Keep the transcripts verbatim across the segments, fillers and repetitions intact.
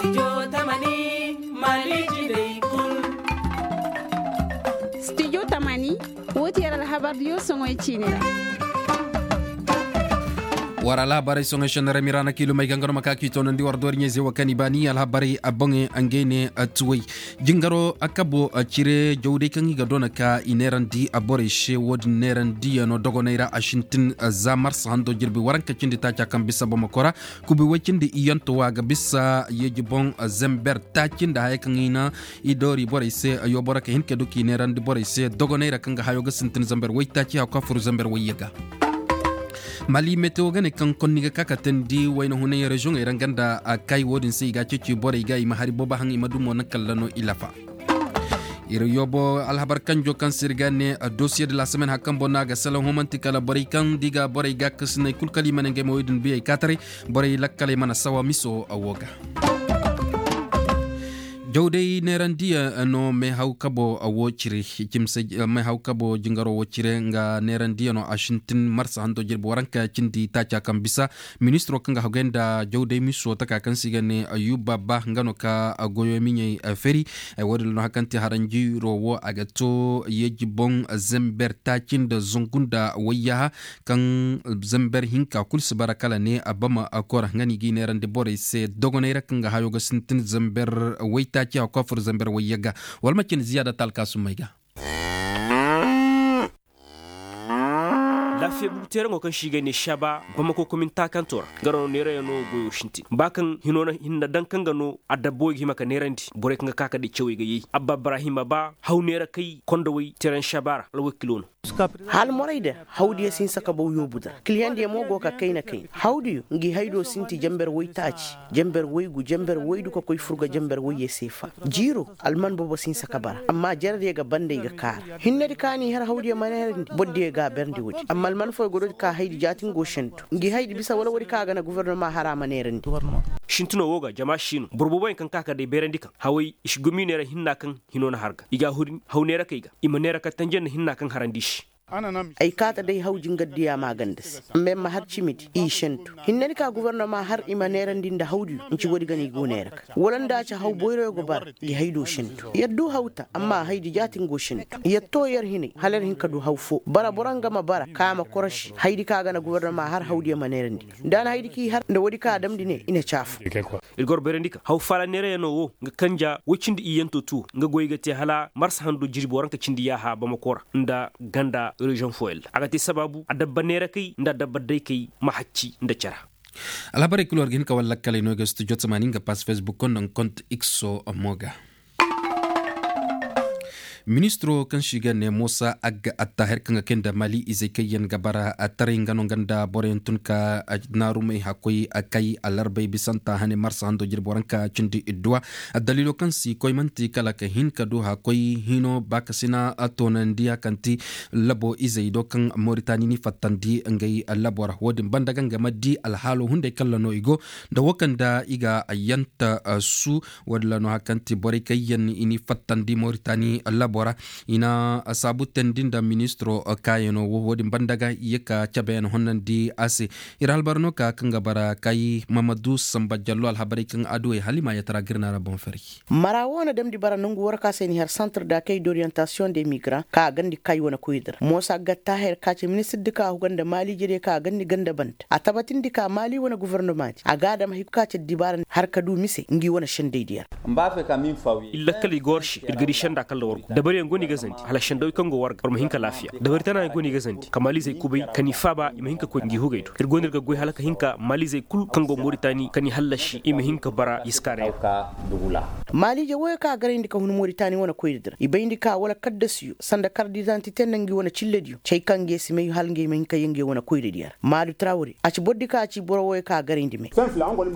Studio tamani, wo ti yer alhabar diyo soŋoy ciini ra. War alhabarey soŋoy sennarey miraana kiilumey gangano ma ka k'i toonandi war dooriɲey ze wo kaŋ i baani alhabarey a boŋey, ngey ne tuwey. Jingaro a kabo cire jawday kaŋ i ga doona ka i neerandi borey se wo-din neerandiyaŋo dogoney ra a sintin. Za marsa hando jirbi waranka cindi taaca kaŋ bisa bamako ra kubi way cindi iyanto wo a ga bisa yeeji boŋ. Zember taaci nda hayey kaŋ i na i doori borey se. Yooboro ka hin ka du k'i neerandi borey se dogoney ra kaŋ ga hayo ga sintin zember waytaaci hakku a fur zember wayye ga. Mali metewo ga ne kaŋ konni ga ka ka teendi wayna hunay reziyoŋey ra nga nda kay wo-din se i ga a ceeci borey ga i ma hari boobo haŋ i ma du mo naŋ kalla no i lafa. Ir yoobo alhabar kanjo kaŋ se ir ga ne dosiye de la semaine hari kaŋ boŋ no a ga salaŋ humanti kala borey kaŋ da i ga borey gaakasiney kul kala i ma ne ngey ma wey din biyey kaataray. Borey lakkaley mana sawa miso wo ga. Jawday neerandiyaŋo meehaw kabo wo cire. Cimse meehaw kabo jingaro wo cire nga neerandiyano a sintin marsa hando jirbi waranka cindi taaca kaŋ bisa. Ministiro kaŋ ga hagay nda jawday miso taka kaŋ se i ga ne ayuba ba nga no ka goyo miɲey feri. Wo-din no hari kaŋ te haranjiro wo a ga to yeeji boŋ zember taaci nda zangu nda wayyaha kaŋ zember hinka kulu si bara kala ne a bama kora nga no i g'i neerandi borey se dogoney ra kaŋ ga hayo ga sintin zember waytaaci a koofur zember wayye ga. Wala ma cin ziyaada talkaasumey ga. Laafiya bugu teeraŋo kaŋ se i ga ne saba bamako komin taakanto ra nga no neerayaŋo goyo sintin ba kaŋ hino na hinna daŋ kaŋ ga no adabba wey ga hima ka neerandi borey kaŋ ga ka ka day cawey ga yay abba ibrahima ba haw neerakey kondowey teeraŋ saba ra alwakilo no. Hala morey da hawdiyo si hin sakabaw yoobu da kiliyandiyo mo go ka kayna kayna hawdiyo ngi haydo sinti jamber woy taaci jamber woy gu jamber woy du ka koy furga jamber woyye seefa. Jiiro alman boobo si hin sakaba ra amma jaradiyo ga banda i ga kaara hinnedi ka ni har hawdiyo ma neerandi bordiyo ga a berndi woodi amma alman fooyo ga doodi ka haydi jaati nga go sentu ngi haydi bisa wala woodi ka a ga na gubernoma har a ma neerandi. Sintino wo ga jama siino boro booboyaŋ kaŋ ka ka day beerandi kaŋ haway i si gomiiney ra hinna kaŋ hino na har ga i ga a huri haw neerakey ga i ma neera ka tanji nda hinna kaŋ harandi i se. Ay kaata day haw jingar diya maaganda se. Amma ay ma har cimidi i sentu hinne ni ka gobornoma har i ma neerandi nda hawdiyo nci woodi ga no i go neera ka wala nda a ci haw boyroyo go bara ngi haydo sentu yer du hawta amma haydi jaati ngo sentu yer to yer hinay hala yer hin ka du haw foo bara boro nga ma bara ka ma korosi haydi ka ga na gobornoma har hawdiyo ma neerandi nda a na haydi k'i har nda woodi ka a damndi ne i na caafu. Ir goro bayrandi ka haw faala neerayaŋo wo nga kanja woy cindi iyyanto tuwo nga goy ga te hala marsa hando jirbi waranka cindi yaaha bamako ra nda ganda reziyoŋ fooyaŋ ra a ga te sabaabu adabba neerakey nda adabba daykey ma hacci nda cara. Alhabarey kulu war ga hin ka war lakkaley no i ga studio tamaani nga pass facebook nda nga kont x o mo ga. Ministiro kaŋ se i ga ne moosa agga attaahir kaŋ ga kay nda maali izey kaŋ yaŋ ga bara taray nga no nga nda boroyaŋ tun ka naarumey hakkoy kay alarbey bisanta hane marsa hando jirbi waranka cindi idduwa. Daliilo kaŋ si koy man'ti kala ka hin ka du hakkoy hino baakasina toonandi a kaŋ ti labo izey do kaŋ moritani ni fattandi ngey labo ra wo-din banda ga nga ma di alhaalo hunday kalla no i go nda wo kaŋ nda i ga yanta su. Wo-din ra no hari kaŋ ti borey kaŋ yaŋ i n'i fattandi moritani labo ra i na saabu teendi nda ministiro kaayano wo wo-din banda ga i ye ka cabeyaŋ honnandi a se. Ir albar no ka kaŋ ga bara kay mamadu samba jallo alhabarey kaŋ aduwey hala i ma yatara ga ir na ra boŋ fari. Mara wo na damndi bara nongu war ka se ni har santre da kay d'orientation de migrant ka a gandi kay wane koydi ra moosa gatta her ka ce ministirdi ka a huga nda maali jere ka a gandi ganda banda a tabatindi ka maali wane govornoma di a ga a dam hay ka ce dibaara har ka du mise ngi wane sendey di yar. Iri lakkal i ga war se iri ga di senda kalla war go dabariyaŋ go no i ga zandi hala sendawey kaŋ go war ga war ma hin ka laafiya dabari tanayaŋ go no i ga zandi ka maalizey kubay ka ni faaba i ma hin ka koy ngi hugey do iri go no iri ga goy hala ka hin ka maalizey kul kaŋ go moritani ka ni hallasi i ma hin ka bara yiskaarey ra. Maaliije woyo kaŋ a garayndi ka hun moritani wane koyra dira i bayndi ka wala kaddasiyo sanda kardidantite nda ngi wane cillediyo cay kaŋ nge si may hala nge ma hin ka ye nge wane koyra diya ra maadu trawre a ci boro di kaŋ a ci boro woyo kaŋ a garayndi me.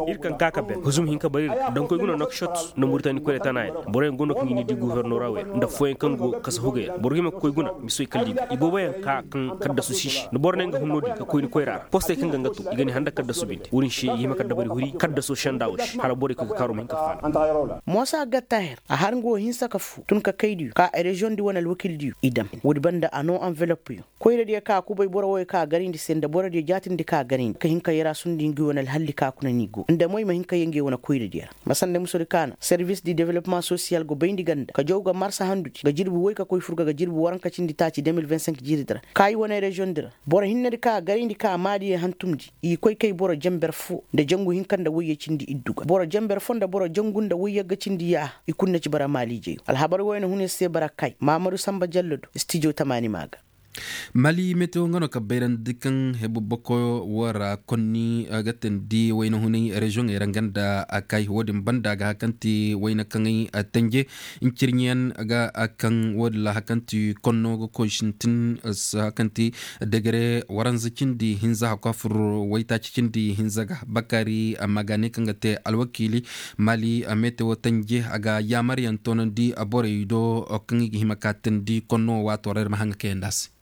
Iri kaŋ ka ka ber huzum hin ka bar iri ga donkoy ga no nokshot nda muritani koyra tana yaŋ boroyaŋ go no kaŋ i ni di guvernora wo yaŋ nda fooyaŋ Kaŋ go kasa hugay ra boro hima ga koy guna misoy kalli ga ibooboyaŋ ka kaŋ kaddasu si i se nda boro ne nga hunno din ka koy ni koyra ra postey kaŋ ga nga to i ga ni handa kaddasu binde wo-din se i hima ka dabari huri kaddaso senda wo se hala borey koy ga kaaro ma hin ka faala. Moosa gattaher a har nga wo hinsa ka fu tun ka kaydiyo ka reziyoŋ di wane alwakildiyo i dam. Woodi banda a noo anvelopyo koyradiyo ka kubay boro wooyo ka garayndi se nda borodiyo jaatindi ka garayndi ka hin ka yarasundi ngi wane alhalli ka kuna ni go nda mo i ma hin ka yee ngi wane koyradiyo ra. Ma sanda musodi ka na servis di developmaŋ sosiyal go bayndi ganda ka jaw ga marsa handudi ga jirbi woy ka koy furga ga jirbi waranka cindi taaci de mil vingt cinq jiiridi ra ka i wane reziyoŋ di ra. Boro hinnedi ka garayndi ka maadiyo hantumndi i koy kay boro jenber foo nda jangu hinka nda woyye cindi iddu ga boro jenber foo nda boro jangu nda woyyagga cindi yaaha i kul na ci bara maaliijeyo alhabar wayna hune se bara kay maamadu samba jallo do stijo tamaani maa ga. Mali metewo nga no ka bayrandi kaŋ hebu boko wo ra konni ga teendi wayna hunay reziyoŋey ra nga nda a kay wo-din banda ga hakanti wayna kaŋey tenje ncirɲiyaŋ ga kaŋ wo-din ra hakanti konno ga koy sintin hakanti degere waranza cindi hinza hakku a fur waytaaci cindi hinza ga bakari amma ga ne kaŋ ga te alwakiili mali metewo tenje a ga yaamaryaŋ toonandi borey do kaŋ i ga hima ka teendi konno wo waato ra ir ma haŋ ga kayandi a se.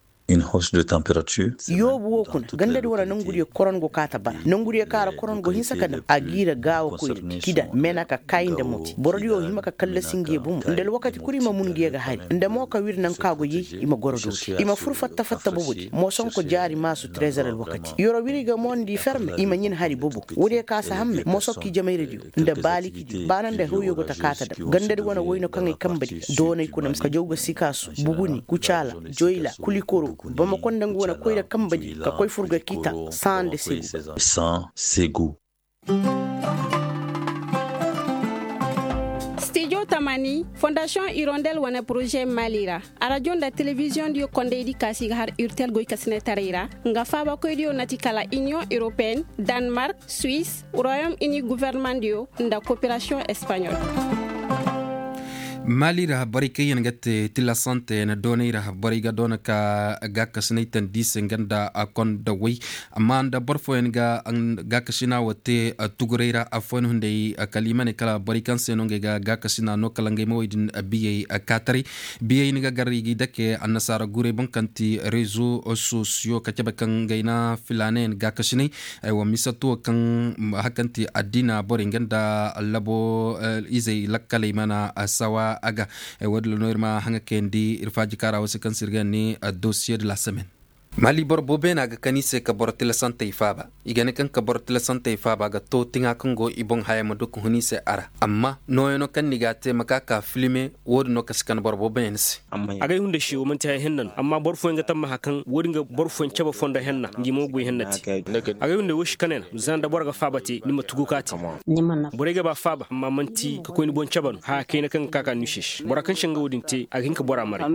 Yoobu wo kuna gandadi wane nongudiyo koron go kaata bara nongudiyo kaŋ ra koron go hinsa ka dam a giira gaawa koyra kida meena ka kaayi nda moti borodiyo hima ka kallasi ngiyo bomo nda alwakati kul i ma mun ngiyo ga hari nda mo ka wir naŋ kaŋ a go yay i ma goro dooti i ma fur fatta fatta bobodi moosonko jaari maasu trezer alwakati yoro wiri ga mo nda i ferme i ma ɲin hari bobo woodiyo kaŋ a si hamme moosonko ijemayradiyo nda baalikidiyo baana nda hawyo go ta kaata dam gandadi wane wayno kaŋ ay kambadi doonay kuna ka jaw ga sikaasu buguni kucaala joyla kulikoro bamako nda nga wane koyra kambadi ka koy furga kita saŋ nda segu. Stijo tamani fondasiyoŋ irondel wane poroze mali ra arajo nda telebiziyoŋ diyo kondaydi kaasi ga har irtel goykasinetaray ra nga faabakoydiyo na ti kala iniyoŋ europeen, danmark, suwis, royom ini guvernemandiyo nda koperasiyoŋ espaɲol. Mali ra borey kaŋ yaŋ ga te tilasante yaŋ doonay ra borey ga doona ka gaakasinay tandi se nga nda kondawey amma nda boro fooyaŋ ga gaakasina wo te tuguray ra affooyaŋ hunday kala i ma ne kala borey kaŋ se no ngey ga gaakasina no kala ngey ma wey din biyey kaataray. Biyey ni ga gar i g'i dake annasaara guray boŋ kaŋ ti rezo sosiyo ka cabe kaŋ ngey na filaanayaŋ gaakasinay. Aywa misatu wo kaŋ hakanti addiina borey nga nda labo izey lakkaley mana sawa a ga. Woodin ra no ir ma haŋa kayandi ir faaji kaara wo se kaŋ se ir ga ne dosiye de la semaine. Mali boro boobo yaŋ a ga kan i se ka boro tilasantey faaba i ga ne kaŋ ka boro tilasantey faaba ga to tiŋa kaŋ go i boŋ haya ma du ka hun i se a ra amma nooyaŋo kaŋ ni ga a te ma ka ka filime. Woodin no kasi kan boro boobo yaŋ se. Agay hunday se wo manti haya henna no amma boro fooyaŋ ga tammaha kaŋ woodin ga boro fooyaŋ cabe fondo henna ngi mo goy henna te. Agay hunday wo si kanay na za nda boro ga faaba te ni ma tugu ka te. Borey ga ba faaba amma manti ka koy ni boŋ cabe no haya kayna kaŋ ga ka ka ni se se bora kaŋ se nga woodin te a ga hin ka bora maray.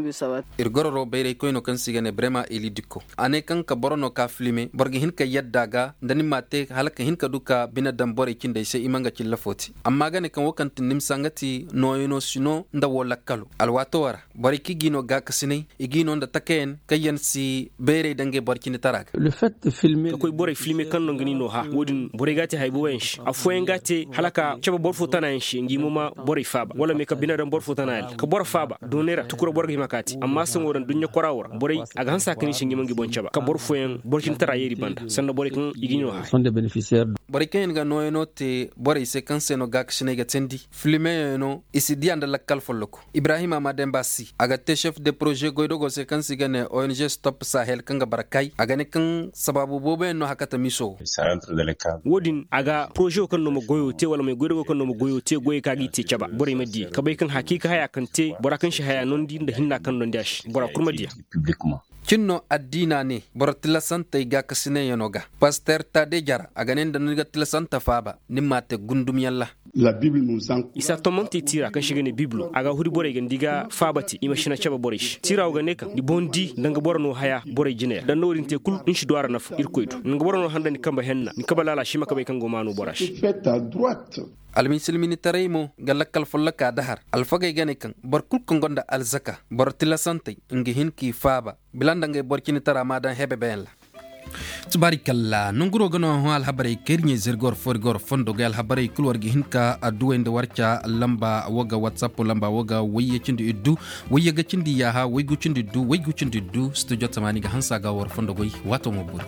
Ir gororo bayraykoyno kaŋ se i ga ne brema eli dikko a ne kaŋ ka boro no ka filime boro ga hin ka yadda ga nda ni m'a te hala ka hin ka du ka bine daŋ borey cindey se i ma nga cilla fo te. Amma ga ne kaŋ wo kaŋ ti nimsa nga ti nooyano si no nda wo lakkalo alwaato wo ra borey kaŋ i g'i no gaakasinay i g'i no nda takayaŋ kaŋ yaŋ si bayray nda ngey boro cinditara ga. Ka koy borey filme kaŋ no nga ni no hã wo-din borey g'a te haya booboyaŋ se affooyaŋ g'a te hala ka cabe boro fo tanayaŋ se ngi mo ma borey faaba wala me ka bine daŋ boro fo tanayaŋ ka boro faaba doonay ra tukura boro ga hima k'a te amma saŋo daŋ duɲɲa kora wo ra borey a ga hanse a ka ni se ngi ma ngi boŋ caba ka boro fooyaŋ boro cinditara yeeri banda sanda borey kaŋ i ga i no haya. Borey kaŋ yaŋ ga nooyaŋo te borey se kaŋ se no gaakasinay ga teendi filmeyaŋo i si diya nda lakkal folloko. Ibrahima ma demba si a ga te chef de proze goydogo se kaŋ se i ga ne ong stop sahel kaŋ ga bara kay a ga ne kaŋ sabaabu booboyaŋ no hakata miso wo. Wo-din a ga poroze wo kaŋ no ma goyo te wala may goydogo kaŋ no ma goyo te goyey kaŋ a g'i te caba borey ma diya ka bay kaŋ hakiika haya kaŋ te bora kaŋ si haya nondi nda hinna kaŋ nondi a se bora kul ma diya. Cin no addiina ne boro tilasantey gaakasinayano ga paster tade jara a ga ne nda ni ga tilasanta faaba ni m'a te gundumyaŋ ra. I si a tommonte tiira kaŋ se i ga ne bibilo a ga huri borey ga nda i ga faaba te i ma sina cabe borey se tiira wo ga ne kaŋ ni boŋ di nda nga boro no haya borey jine ra da ni na wo-din te kul ni si du a ra nafa irkoy do nda nga boro no handa ni kambe henna ni kambe laala si ma ka bay kaŋ go maanu bora se. Almisilminitaray mo ga lakkal folloka dahar alfagey ga ne kaŋ boro kul kaŋ gonda alzaka boro tilasantey nga hin k'i faaba bila nda ngey boro cinitara ma daŋ hebebeyaŋ ra. Tubaari kalla nonguroo ga no hõ alhabarey kaŋ ir ɲey zirga war fo ir ga war fondo goy alhabarey kul war ga hin ka adduwey nda war ca lamba wo ga whatsapp lamba wo ga wayye cindi iddu wayye ga cindi yaaha waygu cindi iddu waygu cindi iddu studio tamaani ga hansa ga war fondo goy. Waato mo buri.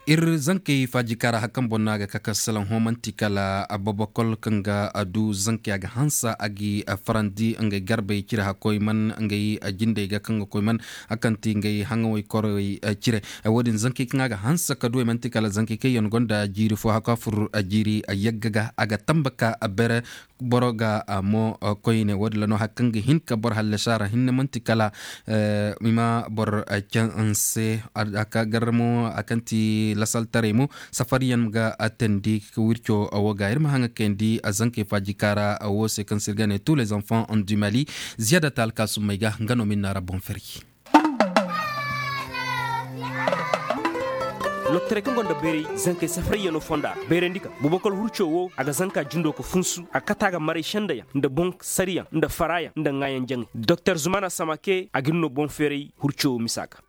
Ir zankey faajikaara hakan boŋ no a ga ka ka salaŋ hõ man'ti kala ababakol kaŋ ga a du zankey a ga hansa a ga i farandi ngey garbey cire hakkoy man ngey jindey ga kaŋ ga koy man a kaŋ ti ngey haŋawey korey cire. Wo-din zankey kaŋ a ga hansa ka du ey man'ti kala zankey kaŋ yaŋ gonda jiiri fo hakko a fur jiiri yagga ga a ga tamba ka bere boro ga a mo koyne wo-din ra no hari kaŋ ga hin ka boro hallasi a ra hinne man'ti kala i ma boro canse a ka gar mo a kaŋ ti lasaltaray mo safariyaŋ ga a teendi wirco wo ga ir ma haŋa kayandi a zankey faajika ra wo se kaŋ se ir ga ne tous les enfants du mali. Ziyaada ta alkaasummey ga nga no ma ir na ra boŋ ferji. Loktaray kaŋ gonda bayray zankey safarayyaŋo fonda ra bayrandi ka bubakar hurco wo a ga zanka jindo ka funsu a ga kate a ga maray sendayaŋ nda boŋ sariyaŋ nda farayaŋ nda ŋaayaŋ jaŋay doktor zumana samake a ga ir no boŋ feeray hurco wo misa ga.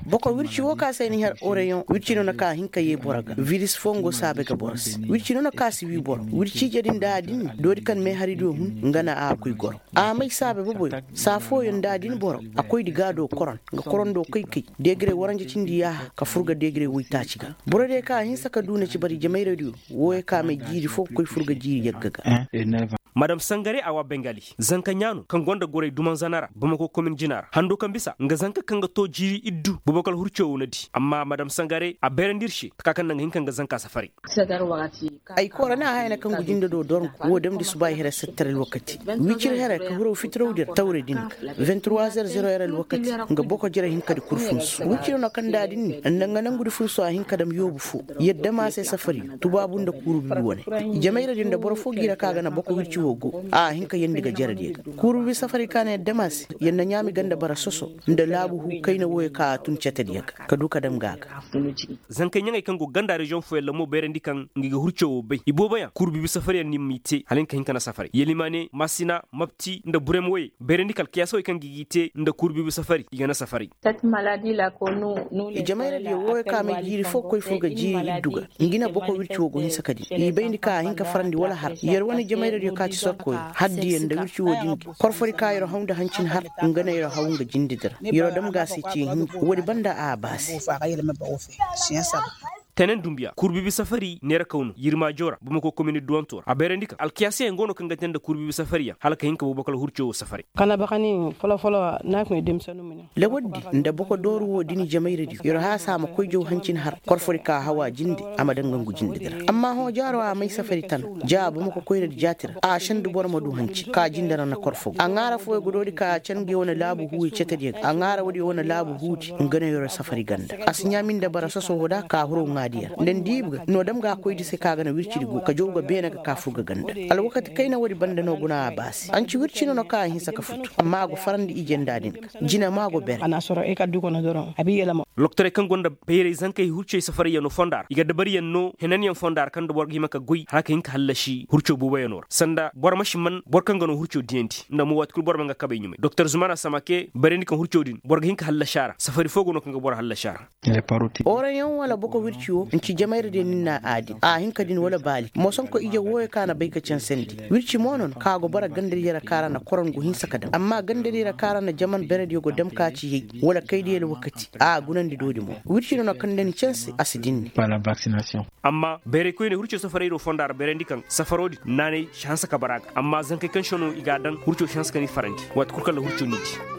Boko wirci wo ka se ni har oreyon wirci no na ka hin ka ye boro ga viris fongo saabe ga boro se wirci no na ka si wi boro wirci ije din da a din doori kaŋ me hari do hun nga na a koy goro. A may saabe boboyo saa fooyaŋ da a din boro a koy di gaado koron nga korondo koy kay deegire waranja cindi yaaha ka fur ga deegire woytaaci ga. Boro diyo ka a hinsa ka du na ci bari jamayradiyo wooyo ka may jiiri fo ga koy fur ga jiiri yagga ga. Madam sangare a wa bengali zanka ɲaano kaŋ gonda goray dumanzana ra bamako komin jina ra hando kaŋ bisa nga zanka kaŋ ga to jiiri iddu bubakar hurco wo na di amma madam sangare a bayrandi ir se taka kaŋ naŋ ga hin kaŋ ga zanka safari. Ay koora na a hayana kaŋ ga jinde do dorŋ wo damndi subaay here setter alwakati wicir here ka huraw fitiraw dir tawre din ga vingt trois heures zero heures alwakati nga boko jere hin ka di kul funsu wicir no kaŋ da din ni nda nga nangu di funsu a hin ka dam yoobu fo. Yadda ma se safari tubaabu nda kuuru bibi wane. Jamayra din da boro fo ga i ra ka ga na boko wirci wo go a hin ka yandi ga jere diya ga kuuru bibi safari ka na yadda ma se yadda ɲaami ganda bara soso nda laabu hu kayna wooyo ka a tun cete diya ga ka du ka dam ga a ga. Zankey ɲaŋey kaŋ go ganda reziyoŋ fooyaŋ ra mo bayrandi kaŋ ngi ga hurco wo bay ibooboyaŋ kurbibi safariyaŋ ni m'i te hala ni ka hin ka na safaray yelimaane masina mapti nda burem woyey bayrandi ka alkiyaasawey kaŋ ngi g'i te nda kurbibi safari i ga na safaray. Jamayra diyo wooyo ka may jiiri fo ga koy fur ga jiiri iddu ga ngi na boko wirci wo go hinsa ka di i bayndi ka a hin ka farandi wala har yer wane jamayra diyo ka ci sorkoyo har diyaŋ nda wirci wo din ga korfori ka yer haw nda hancin har nga na yer haw nga jinde dira yer dam ga a se ce hinji woodi banda a baasi. Tenen dumbiya kurbibi safari neera kaw no yirmaajo ra bamako komini duwanto ra a bayrandi ka alkiyaasiyaŋ go no kaŋ ga te nda kurbibi safariyaŋ hala ka hin ka bubakar hurco wo safari. Kala bakani folo folo na kuŋay demsanu mine. Lawar di nda boko dooru wo dini jamayra di yer haasa a ma koy jaw hancin har korfori ka hawa jinde a ma daŋ gangu jinde di ra amma hõ jaaro a may safari tan ja bamako koyra di jaati ra a sendu boro ma du hanci ka jinde ra na korfo a ŋaara fooyo ga doori ka can ga yer wane laabu huuyo cete diyaŋ a ŋaara woodi yer wane laabu huudi nga no yer safari ganda a si ɲaami nda bara soso wo da ka huro ŋaadiya ra nda ni diibi ga no dam ga a koy di se ka ga na wirci di go ka jaw ga beene ga ka fur ga ganda. Alwakati kayna woodi banda no guna a baasi anci wirci no na ka a hinsa ka futu amma a go farandi ije nda din ga jina ma go bere. Loktorey kaŋ gonda bayray zankey hurcey safarayyaŋo fonda ra i ga dabariyaŋ no henanyaŋ fonda ra kaŋ nda boro ga hima ka goy hala ka hin ka hallasi hurco booboyaŋo ra sanda boro ma si man boro kaŋ ga no hurco diyandi nda mo waati kulu boro ma nga kabey ɲumay doktor zumana samake bayrandi kaŋ hurco din boro ga hin ka hallasi a ra safari fo go no kaŋ ga boro hallasi a ra. Oreyoŋ wala boko wirci wo nci jamayra diyo nin na a din a hin ka din wala baali moosonko ije wooyo ka na bay ka cansandi wirci mo no ka go bara gandadiyo ra ka ra na koron go hinsa ka dam amma gandadiyo ra ka ra na jaman berediyo go dam ka ci yay wala kaydiyo alwakati a gunandi doodi mo wirci no na kaŋ da ni canse a si dinni. Amma bayraykoyney hurco safarayro fonda ra bayrandi kaŋ safaro din naanay si hanse ka bara ga amma zankey kaŋ se no i ga a daŋ hurco si hanse ka ni farandi waati kulu kaŋ ra hurco ni di.